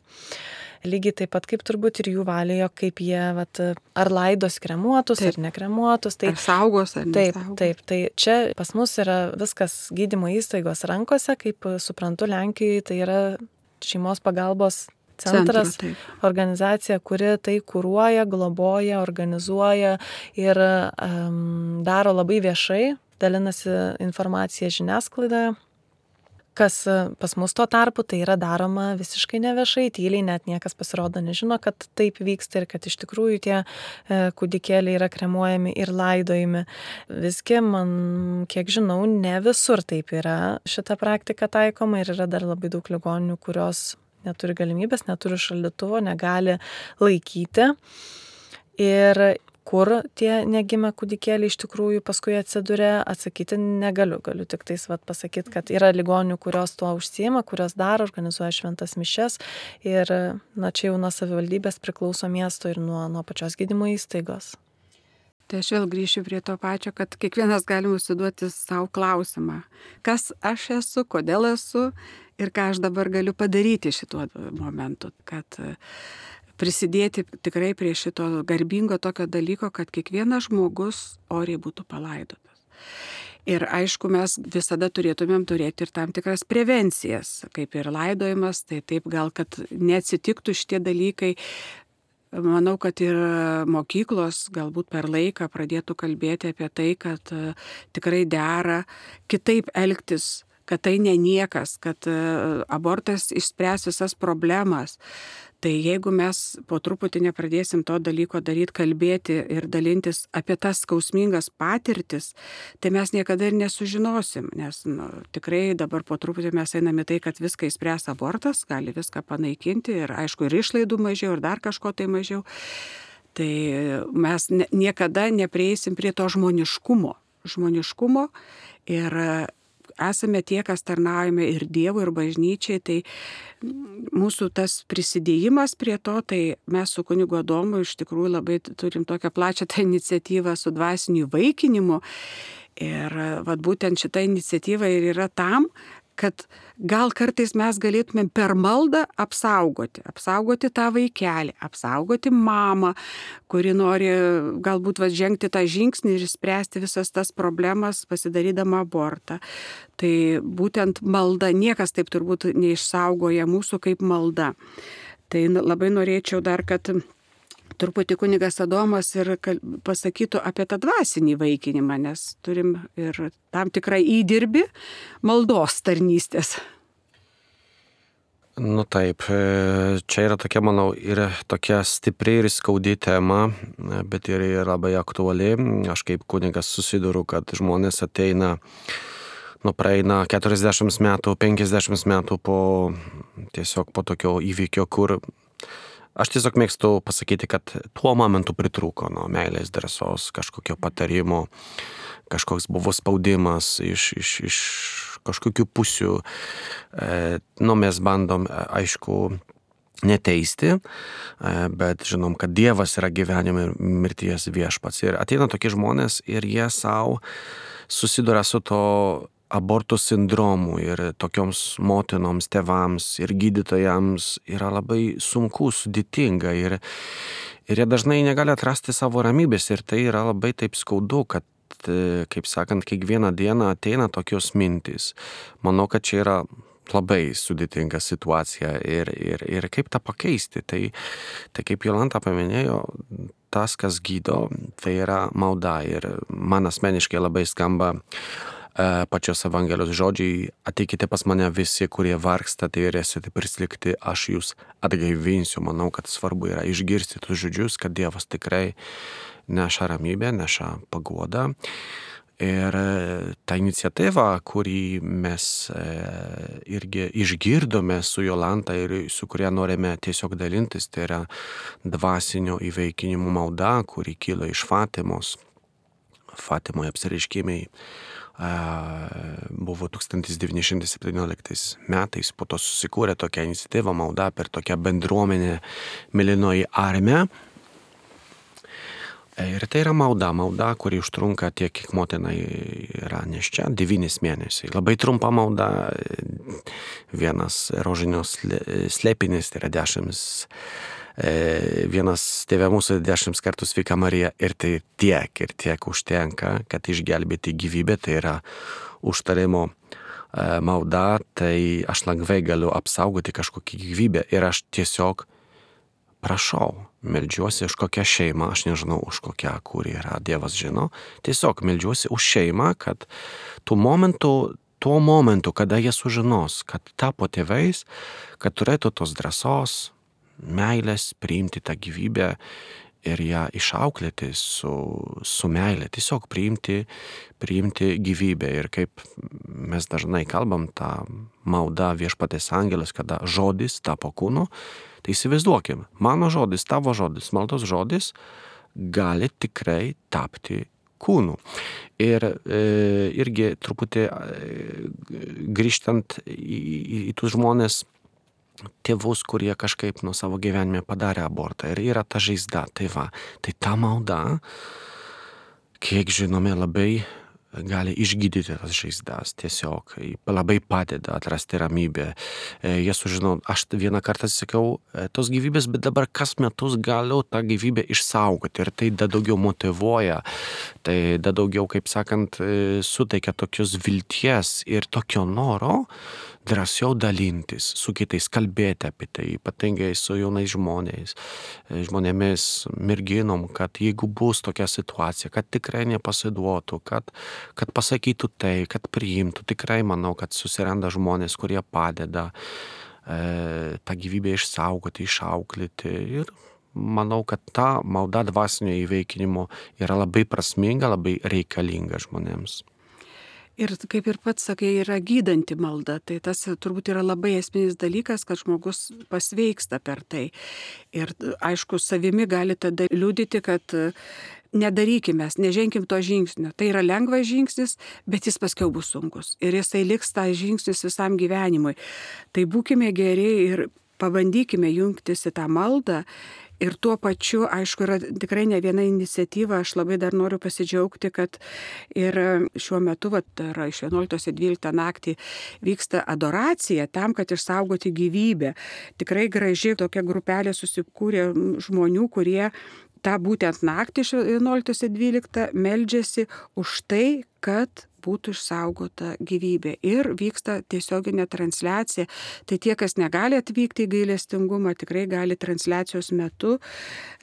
Lygiai taip pat kaip turbūt ir jų valioje, kaip jie ar laidos kremuotus, taip, ar nekremuotus. Ar saugos, ar nesaugos. Taip. Tai čia pas mus yra viskas gydymo įstaigos rankose, kaip suprantu, Lenkijoje tai yra šeimos pagalbos centras, organizacija, kuri tai kuruoja, globoja, organizuoja ir daro labai viešai, dalinasi informacija žiniasklaidoje. Kas pas mus tuo tarpu, tai yra daroma visiškai neviešai, tyliai, net niekas pasirodo nežino, kad taip vyksta ir kad iš tikrųjų tie kūdikėliai yra kremuojami ir laidojami. Visgi, man, kiek žinau, ne visur taip yra šita praktika taikoma ir yra dar labai daug ligoninių, kurios neturi galimybės, neturi šaldytuvo, negali laikyti. Ir kur tie negimę kūdikėliai iš tikrųjų paskui atsiduria, atsakyti negaliu. Galiu tik tais pasakyti, kad yra ligoninių, kurios tuo užsiima, kurios daro, organizuoja šventas mišias ir čia jau nuo savivaldybės priklauso miesto ir nuo pačios gydymo įstaigos. Tai aš vėl grįšiu prie to pačio, kad kiekvienas gali užsiduoti savo klausimą. Kas aš esu, kodėl esu ir ką aš dabar galiu padaryti šituo momentu, kad prisidėti tikrai prie šito garbingo tokio dalyko, kad kiekvienas žmogus oriai būtų palaidotas. Ir aišku, mes visada turėtumėm turėti ir tam tikras prevencijas, kaip ir laidojimas, tai taip gal, kad neatsitiktų šitie dalykai. Manau, kad ir mokyklos galbūt per laiką pradėtų kalbėti apie tai, kad tikrai dera kitaip elgtis kad tai ne niekas, kad abortas išspręs visas problemas. Tai jeigu mes po truputį nepradėsim to dalyko daryti, kalbėti ir dalintis apie tas skausmingas patirtis, tai mes niekada ir nesužinosim, nes tikrai dabar po truputį mes einame tai, kad viską išspręs abortas, gali viską panaikinti ir aišku ir išlaidų mažiau ir dar kažko tai mažiau. Tai mes niekada neprieisim prie to žmoniškumo ir esame tie, kas tarnaujame ir Dievui, ir bažnyčiai, tai mūsų tas prisidėjimas prie to, tai mes su kunigu Adomu iš tikrųjų labai turim tokią plačią tą iniciatyvą su dvasiniu įvaikinimu. Ir būtent šita iniciatyva ir yra tam, kad gal kartais mes galėtumėm per maldą apsaugoti tą vaikelį, apsaugoti mamą, kuri nori galbūt žengti tą žingsnį ir išspręsti visas tas problemas, pasidarydama abortą. Tai būtent malda, niekas taip turbūt neišsaugoja mūsų kaip malda. Tai labai norėčiau dar, kad truputį kunigas Adomas ir pasakytų apie tą dvasinį įvaikinimą, nes turim ir tam tikrą įdirbį maldos tarnystės. Taip, čia yra tokia, manau, ir tokia stipri ir skaudi tema, bet ir labai aktuali. Aš kaip kunigas susiduriu, kad žmonės ateina, praeina 40 metų, 50 metų tiesiog po tokio įvykio, kur aš tiesiog mėgstu pasakyti, kad tuo momentu pritrūko meilės, drąsos, kažkokio patarimo, kažkoks buvo spaudimas iš kažkokių pusių. Mes bandom, aišku, neteisti, bet žinom, kad Dievas yra gyvenimo ir mirties viešpats. Ir ateina tokie žmonės ir jie savo susiduria su to abortų sindromu ir tokioms motinoms, tėvams ir gydytojams yra labai sunku, sudėtinga ir jie dažnai negali atrasti savo ramybės ir tai yra labai taip skaudu, kad, kaip sakant, kiekvieną dieną ateina tokios mintys. Manau, kad čia yra labai sudėtinga situacija ir kaip tą pakeisti. Tai kaip Jolanta paminėjo, tas, kas gydo, tai yra malda ir man asmeniškai labai skamba pačios Evangelijos žodžiai: ateikite pas mane visi, kurie vargstate ir esate prislėgti, aš jūs atgaivinsiu. Manau, kad svarbu yra išgirsti tuos žodžius, kad Dievas tikrai neša ramybę, neša paguodą. Ir ta iniciatyva, kurį mes irgi išgirdome su Jolanta ir su kuria norime tiesiog dalintis, tai yra dvasinio įvaikinimo malda, kuri kyla iš Fatimos. Fatimoje apsireiškimai buvo 1917 metais, po to susikūrė tokia iniciatyva malda per tokią bendruomenę Mėlynoji armija. Ir tai yra malda, kuri užtrunka tiek, kiek motina yra nėščia, 9 mėnesiai. Labai trumpa malda, vienas rožinio slėpinis, tai yra 10. Vienas Tėve mūsų 10 kartų sveika Marija ir tai tiek užtenka, kad išgelbėti gyvybę, tai yra užtarimo malda, tai aš lengvai galiu apsaugoti kažkokią gyvybę ir aš tiesiog prašau, meldžiuosi už kokią šeimą, aš nežinau už kokią, kur yra, Dievas žino, tiesiog meldžiuosi už šeimą, kad tuo momentu, kada jie sužinos, kad tapo tėvais, kad turėtų tos drąsos, meilės priimti tą gyvybę ir ją išauklėti su meilė, tiesiog priimti gyvybę. Ir kaip mes dažnai kalbam, tą maldą Viešpaties angelas, kada žodis tapo kūnu, tai įsivaizduokim, mano žodis, tavo žodis, maldos žodis gali tikrai tapti kūnu. Ir irgi truputį grįžtant į tus žmonės, tėvus, kurie kažkaip nuo savo gyvenime padarė abortą ir yra ta žaizda, tai ta malda, kiek žinome, labai gali išgydyti tas žaizdas, tiesiog labai padeda atrasti ramybę. Jie sužino, aš vieną kartą sakiau, tos gyvybės, bet dabar kas metus galiu tą gyvybę išsaugoti ir tai da daugiau motyvuoja, tai da daugiau, kaip sakant, suteikia tokios vilties ir tokio noro drąsiau dalintis su kitais, kalbėti apie tai, ypatingai su jaunais žmonėmis, merginom, kad jeigu bus tokia situacija, kad tikrai nepasiduotų, kad pasakytų tai, kad priimtų. Tikrai manau, kad susiranda žmonės, kurie padeda tą gyvybę išsaugoti, išauklėti. Ir manau, kad ta malda dvasinio įveikinimo yra labai prasminga, labai reikalinga žmonėms. Ir kaip ir pats sakai, yra gydanti malda. Tai tas turbūt yra labai esminis dalykas, kad žmogus pasveiksta per tai. Ir aišku, savimi gali tada liudyti, kad nedarykime, neženkim to žingsnio. Tai yra lengvas žingsnis, bet jis paskiau bus sunkus. Ir jisai liks tą žingsnis visam gyvenimui. Tai būkime geri ir pabandykime jungtis į tą maldą. Ir tuo pačiu, aišku, yra tikrai ne viena iniciatyva, aš labai dar noriu pasidžiaugti, kad ir šiuo metu, yra iš 11-12 naktį vyksta adoracija tam, kad išsaugoti gyvybę. Tikrai graži tokia grupelė susikūrė žmonių, kurie tą būtent naktį iš 11-12 meldžiasi už tai, kad būtų išsaugota gyvybė. Ir vyksta tiesioginė transliacija. Tai tie, kas negali atvykti į gailestingumą, tikrai gali transliacijos metu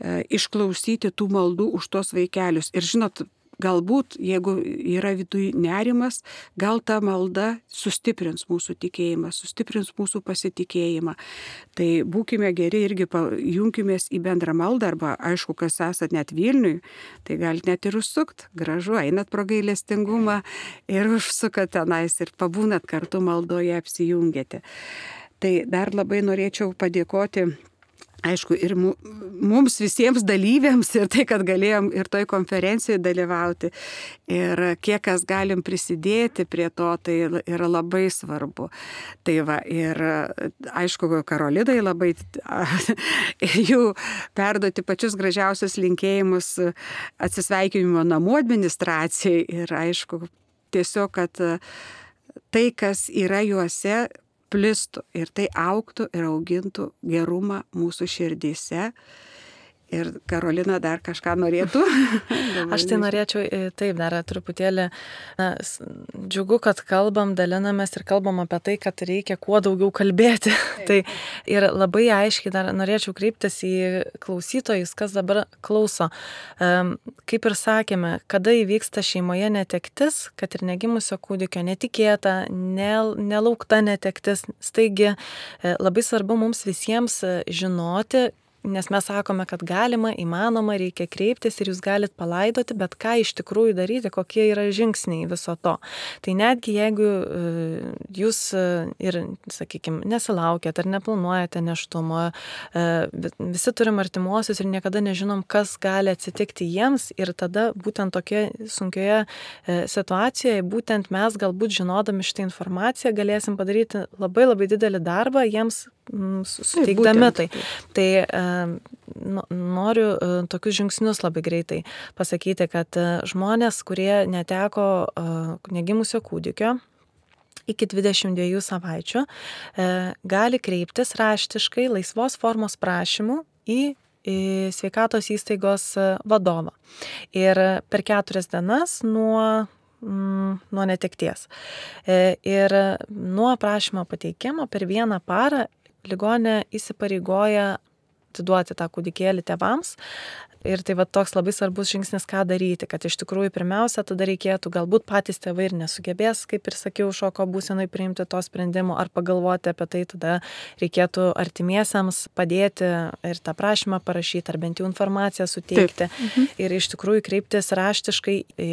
išklausyti tų maldų už tos vaikelius. Ir žinot, galbūt, jeigu yra viduje nerimas, gal ta malda sustiprins mūsų tikėjimą, sustiprins mūsų pasitikėjimą. Tai būkime geri irgi, junkimės į bendrą maldą, arba aišku, kas esat net Vilniui, tai galite net ir užsukt, gražu, einat pro gailestingumą ir užsukat tenais ir pabūnat kartu maldoje, apsijungėte. Tai dar labai norėčiau padėkoti, aišku, ir mums visiems dalyviams ir tai, kad galėjom ir toj konferencijoje dalyvauti. Ir kiek kas galim prisidėti prie to, tai yra labai svarbu. Tai va, ir aišku, Karolinai labai jų perduoti pačius gražiausius linkėjimus atsisveikinimo namų administracijai. Ir aišku, tiesiog, kad tai, kas yra juose, plistų ir tai augtų ir augintų gerumą mūsų širdyse. Ir Karolina dar kažką norėtų? Aš tai norėčiau, taip, dar truputėlį, džiugu, kad kalbam, dalinamės ir kalbam apie tai, kad reikia kuo daugiau kalbėti. Tai ir labai aiškiai dar norėčiau kreiptis į klausytojus, kas dabar klauso. Kaip ir sakėme, kada įvyksta šeimoje netektis, kad ir negimusio kūdikio netikėta, nelaukta netektis, staigi labai svarbu mums visiems žinoti, nes mes sakome, kad galima, įmanoma, reikia kreiptis ir jūs galite palaidoti, bet ką iš tikrųjų daryti, kokie yra žingsniai viso to. Tai netgi jeigu jūs ir, sakykime, nesilaukėt ar neplanuojate nėštumo, visi turim artimuosius ir niekada nežinom, kas gali atsitikti jiems ir tada būtent tokioje sunkioje situacijoje, būtent mes galbūt žinodami šitą informaciją galėsim padaryti labai labai didelį darbą jiems suteikdami tai. Tai noriu tokius žingsnius labai greitai pasakyti, kad žmonės, kurie neteko negimusio kūdikio iki 22 savaičių, gali kreiptis raštiškai laisvos formos prašymų į sveikatos įstaigos vadovą. Ir per 4 dienas nuo netekties. Ir nuo prašymo pateikimo per 1 parą ligonė įsipareigoja atiduoti tą kūdikėlį tėvams. Ir tai va toks labai svarbus žingsnis, ką daryti, kad iš tikrųjų pirmiausia tada reikėtų, galbūt patys tėvai ir nesugebės, kaip ir sakiau, šoko būsenai priimti to sprendimo ar pagalvoti apie tai, tada reikėtų artimiesiams padėti ir tą prašymą parašyti, ar bent jau informaciją suteikti. Ir iš tikrųjų kreiptis raštiškai į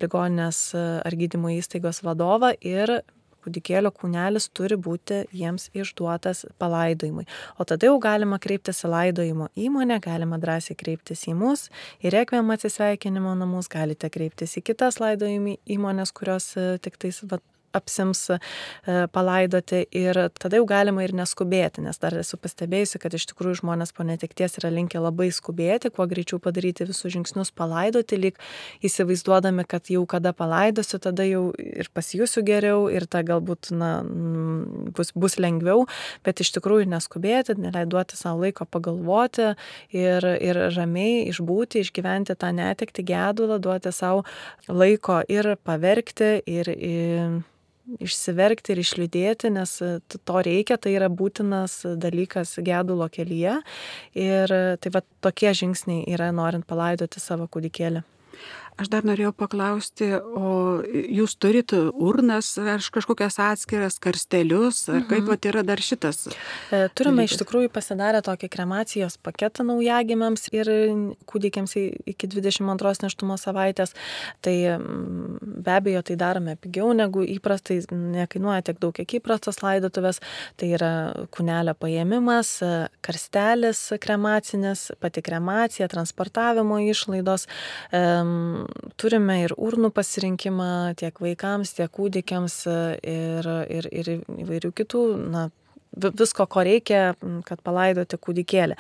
ligoninės ar gydymo įstaigos vadovą ir kūdikėlio kūnelis turi būti jiems išduotas palaidojimui. O tada jau galima kreiptis į laidojimo įmonę, galima drąsiai kreiptis į mus, į Rekviem atsisveikinimo namus, galite kreiptis į kitas laidojimo įmonės, kurios tik tais apsims palaidoti ir tada jau galima ir neskubėti, nes dar esu pastebėjusi, kad iš tikrųjų žmonės po netekties yra linkę labai skubėti, kuo greičiau padaryti visus žingsnius palaidoti, lyg įsivaizduodami, kad jau kada palaidosiu, tada jau ir pasijusiu geriau ir ta galbūt bus lengviau, bet iš tikrųjų neskubėti, neleiduoti savo laiko pagalvoti ir ramiai išbūti, išgyventi tą netektį, gedulą, duoti savo laiko ir paverkti ir išsiverkti ir išliūdėti, nes to reikia, tai yra būtinas dalykas gedulo kelyje. Ir tai va tokie žingsniai yra, norint palaidoti savo kūdikėlį. Aš dar norėjau paklausti, o jūs turit urnas ar kažkokias atskiras karstelius, ar kaip vat yra dar šitas? Turime iš tikrųjų pasidarę tokį kremacijos paketą naujagimiams ir kūdikiams iki 22 nėštumo savaitės. Tai be abejo, tai darome pigiau negu įprastai, nekainuoja tiek daug, kiek įprastos laidotuvės. Tai yra kūnelio paėmimas, karstelis kremacinis, pati kremacija, transportavimo išlaidos. Turime ir urnų pasirinkimą tiek vaikams, tiek kūdikiams ir įvairių kitų, visko, ko reikia, kad palaidoti kūdikėlį.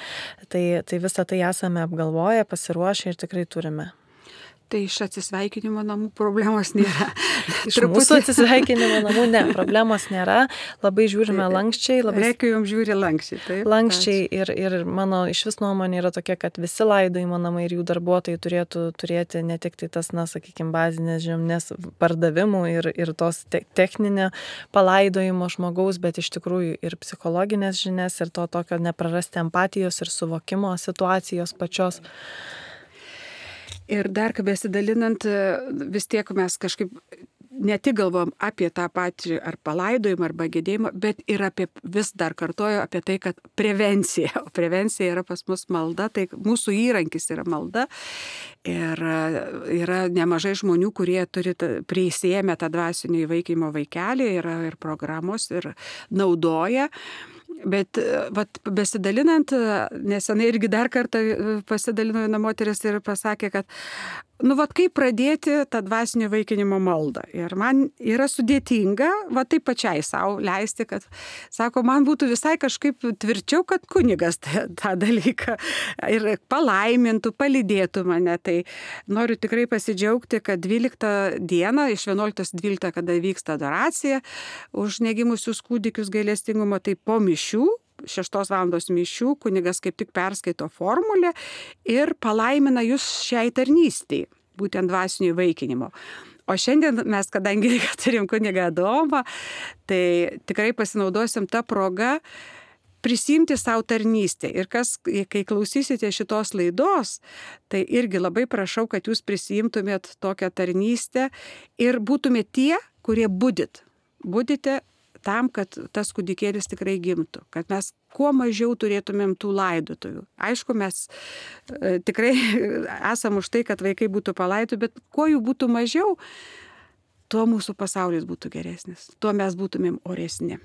Tai visą tai esame apgalvoję, pasiruošę ir tikrai turime. Tai iš atsisveikinimo namų problemos nėra. Iš mūsų atsisveikinimo namų ne, problemos nėra. Labai žiūrime lankščiai. Reikia jums žiūri lankščiai. Taip, lankščiai ir mano iš vis nuomonė yra tokia, kad visi laidojimo namai ir jų darbuotojai turėtų turėti ne tik tai tas, sakykime, bazinės žinias pardavimų ir tos techninio palaidojimo žmogaus, bet iš tikrųjų ir psichologinės žinias ir to tokio neprarasti empatijos ir suvokimo situacijos pačios. Ir dar besidalinant, vis tiek mes kažkaip ne tik galvom apie tą patį ar palaidojimą, arba gedėjimą, bet ir vis dar kartoju apie tai, kad prevencija. O prevencija yra pas mus malda, tai mūsų įrankis yra malda. Ir yra nemažai žmonių, kurie turi prisiėmę tą dvasinio įvaikinimo vaikelį, yra ir programos, ir naudoja. Bet besidalinant, nesenai irgi dar kartą pasidalino viena moteris ir pasakė, kad kaip pradėti tą dvasinio įvaikinimo maldą. Ir man yra sudėtinga, taip pačiai savo leisti, kad, sako, man būtų visai kažkaip tvirčiau, kad kunigas tą dalyką ir palaimintų, palydėtų mane. Tai noriu tikrai pasidžiaugti, kad 12 dieną, iš 11-12, kada vyksta adoracija už negimusius kūdikius gailestingumo, tai po mišių, 6 valandos mišių, kunigas kaip tik perskaito formulę ir palaimina jūs šiai tarnystei, būtent dvasinio įvaikinimo. O šiandien mes, kadangi turim kunigą Adomą, tai tikrai pasinaudosim tą progą prisimti savo tarnystę. Ir kai klausysite šitos laidos, tai irgi labai prašau, kad jūs prisimtumėt tokią tarnystę ir būtumėte tie, kurie budite tam, kad tas kūdikėlis tikrai gimtų, kad mes kuo mažiau turėtumėm tų laidotuvių. Aišku, mes tikrai esam už tai, kad vaikai būtų palaidoti, bet kuo jų būtų mažiau, tuo mūsų pasaulis būtų geresnis, tuo mes būtumėm oresni.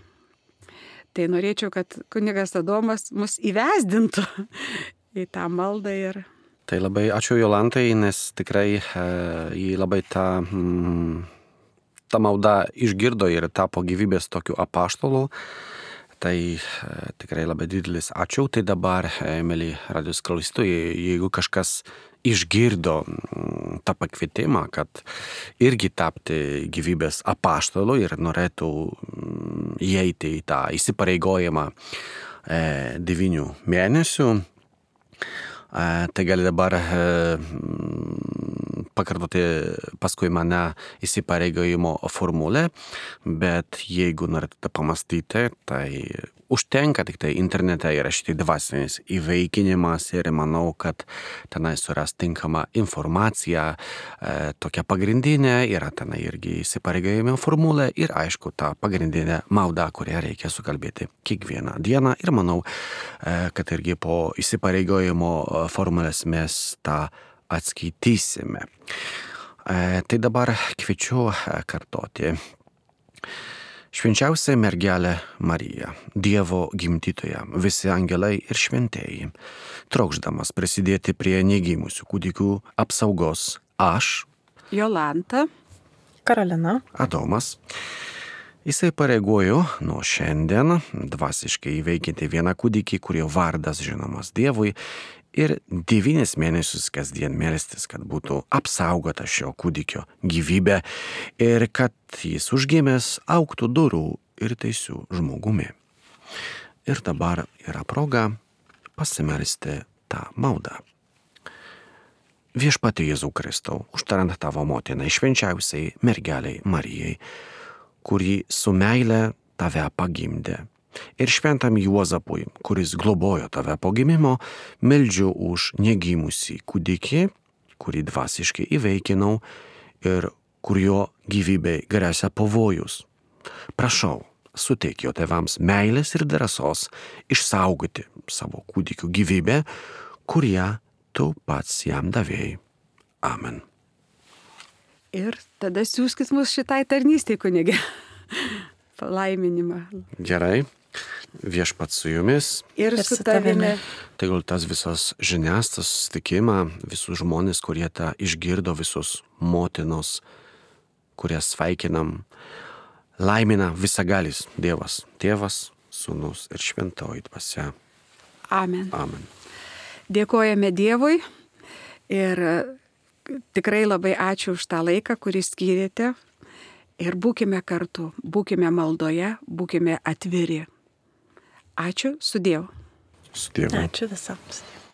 Tai norėčiau, kad kunigas Adomas mus įvesdintų į tą maldą ir... Tai labai ačiū Jolantai, nes tikrai jį labai ta malda išgirdo ir tapo gyvybės tokiu apaštalu. Tai tikrai labai didelis ačiū. Tai dabar, mėly radijos klausytojai, jeigu kažkas išgirdo tą pakvietimą, kad irgi tapti gyvybės apaštalu ir norėtų įeiti į tą įsipareigojimą 9 mėnesių, tai gali dabar pakartoti paskui mane įsipareigojimo formulę, bet jeigu norite pamastyti, tai užtenka tik tai internete įrašyti dvasinis įvaikinimas ir manau, kad tenai suras tinkamą informaciją, tokia pagrindinė, yra tenai irgi įsipareigojimo formulė ir aišku ta pagrindinė malda, kurią reikia sukalbėti kiekvieną dieną ir manau, kad irgi po įsipareigojimo formulės mes tą atskaitysime. Tai dabar kviečiu kartoti. Švenčiausia mergelė Marija, Dievo gimdytoja, visi angelai ir šventieji, trokšdamas prisidėti prie negimusių kūdikių apsaugos, aš, Jolanta, Karolina, Adomas, įsipareigoju nuo šiandien dvasiškai įveikinti vieną kūdikį, kurio vardas žinomas Dievui, ir 9 mėnesius kasdien melstis, kad būtų apsaugota šio kūdikio gyvybė ir kad jis užgimęs augtų dorų ir teisių žmogumi. Ir dabar yra proga pasimelsti tą maldą. Viešpatie Jėzau Kristau, užtarant tavo motinai švenčiausiai mergeliai Marijai, kurį su meile tave pagimdė. Ir šventam Juozapui, kuris globojo tave po gimimo, meldžiu už negimusį kūdikį, kurį dvasiškai įveikinau ir kurio gyvybei gresia pavojus. Prašau, suteik jo tėvams meilės ir drąsos išsaugoti savo kūdikių gyvybę, kurią tu pats jam davėjai. Amen. Ir tada siūskit mus šitai tarnystei, kunige. Palaiminimą. Gerai, viešpats su jumis. Ir su tavimi. Tegul tas visas žinias, tas susitikimą, visus žmonės, kurie tą išgirdo, visus motinos, kurias sveikinam, laimina visagalis Dievas, Tėvas, Sūnus ir Šventoji Dvasia. Amen. Amen. Dėkojame Dievui ir tikrai labai ačiū už tą laiką, kurį skyrėte. Ir būkime kartu, būkime maldoje, būkime atviri. Ačiū, su Dievu. Su Dievu. Ačiū visams.